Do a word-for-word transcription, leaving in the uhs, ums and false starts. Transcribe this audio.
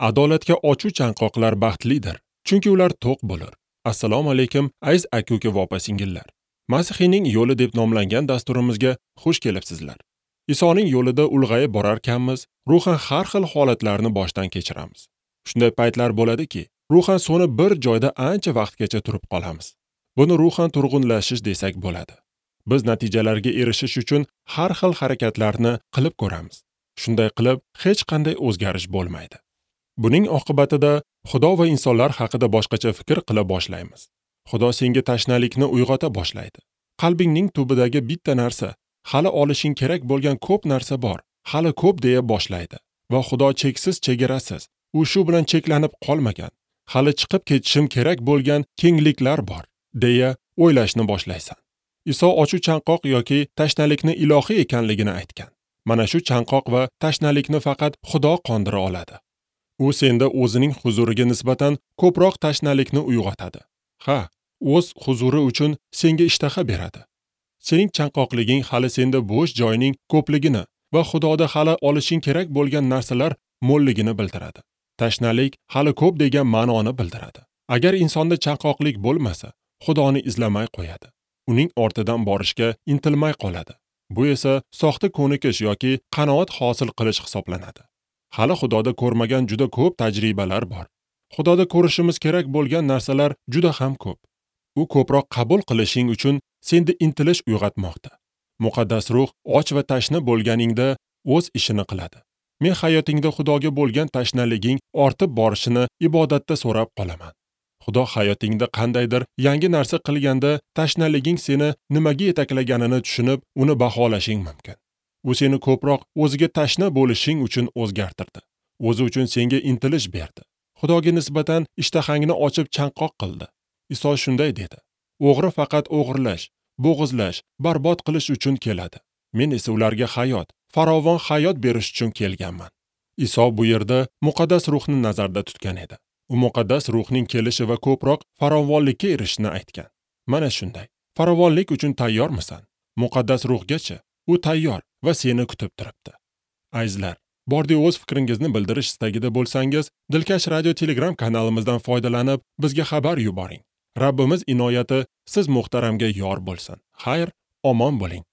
Adolatga ochu chanqoqlar baxtlidir, chunki ular to'q bo'lur. Assalomu alaykum, aziz aka-uka va opa-singillar. Masihiyning yo'li deb nomlangan dasturimizga xush kelibsizlar. Isoning yo'lida ulg'ayib borarkanmiz, ruhan har xil holatlarni boshdan kechiramiz. Shunday paytlar bo'ladiki, ruhan so'nib bir joyda ancha vaqtgacha turib qolamiz. Buni ruhan turg'unlashish desak bo'ladi. Biz natijalarga erishish uchun har xil harakatlarni qilib ko'ramiz. Shunday qilib, hech qanday o'zgarish bo'lmaydi. Buning oqibatida Xudo va insonlar haqida boshqacha fikr qila boshlaymiz. Xudo senga tashnalikni uyg'ota boshlaydi. Qalbingning tubidagi bitta narsa, hali olishing kerak bo'lgan ko'p narsa bor, hali ko'p deya boshlaydi. Va Xudo cheksiz, chegarasiz. U shu bilan cheklanib qolmagan. Hali chiqib ketishim kerak bo'lgan kengliklar bor, deya o'ylashni boshlaysan. Iso ochu chanqoq yoki tashnalikni ilohiy ekanligini aytgan. Mana shu chanqoq va tashnalikni faqat Xudo qondira oladi. U senda o'zining huzuriga nisbatan ko'proq tashnalikni uyg'otadi. Ha, o'z huzuri uchun senga ishtaha beradi. Sening chanqoqliging hali senda bo'sh joyning ko'pligini va Xudoda hali olishing kerak bo'lgan narsalar mo'lligini bildiradi. Tashnalik hali ko'p degan ma'noni bildiradi. Agar insonda chanqoqlik bo'lmasa, Xudoni izlamay qo'yadi. Uning ortidan borishga intilmay qoladi. Bu esa soxta ko'nikish yoki qanoat hosil qilish hisoblanadi. Hali Xudoda ko'rmagan juda ko'p tajribalar bor. Xudoda ko'rishimiz kerak bo'lgan narsalar juda ham ko'p. U ko'proq qabul qilishing uchun senda intilish uyg'otmoqda. Muqaddas ruh och va tashna bo'lganingda o'z ishini qiladi. Men hayotingda Xudoga bo'lgan tashnaliging ortib borishini ibodatda so'rab qolaman. Xudo hayotingda qandaydir yangi narsa qilganda tashnaliging seni nimaga yetaklaganini tushunib, uni baholashing mumkin. U seni ko'proq o'ziga tashna bo'lishing uchun o'zgartirdi. O'zi uchun senga intilish berdi. Xudoga nisbatan ishtahangni ochib chanqoq qildi. Iso shunday dedi: O'g'ri faqat o'g'irlash, bo'g'izlash, barbod qilish uchun keladi. Men esa ularga hayot, farovon hayot berish uchun kelganman. Iso bu yerda muqaddas ruhni nazarda tutgan edi. U muqaddas ruhning kelishi va ko'proq farovonlikka erishishini aytgan. Mana shunday. Farovonlik uchun tayyormisan? Muqaddas ruhgacha u tayyor va seni kutib turibdi. Azizlar, bordi o'z fikringizni bildirish istagida bo'lsangiz, Dilkash Radio Telegram kanalimizdan foydalanib, bizga xabar yuboring. Rabbimiz inoyati siz muhtaramga yor bo'lsin. Xayr, omon bo'ling.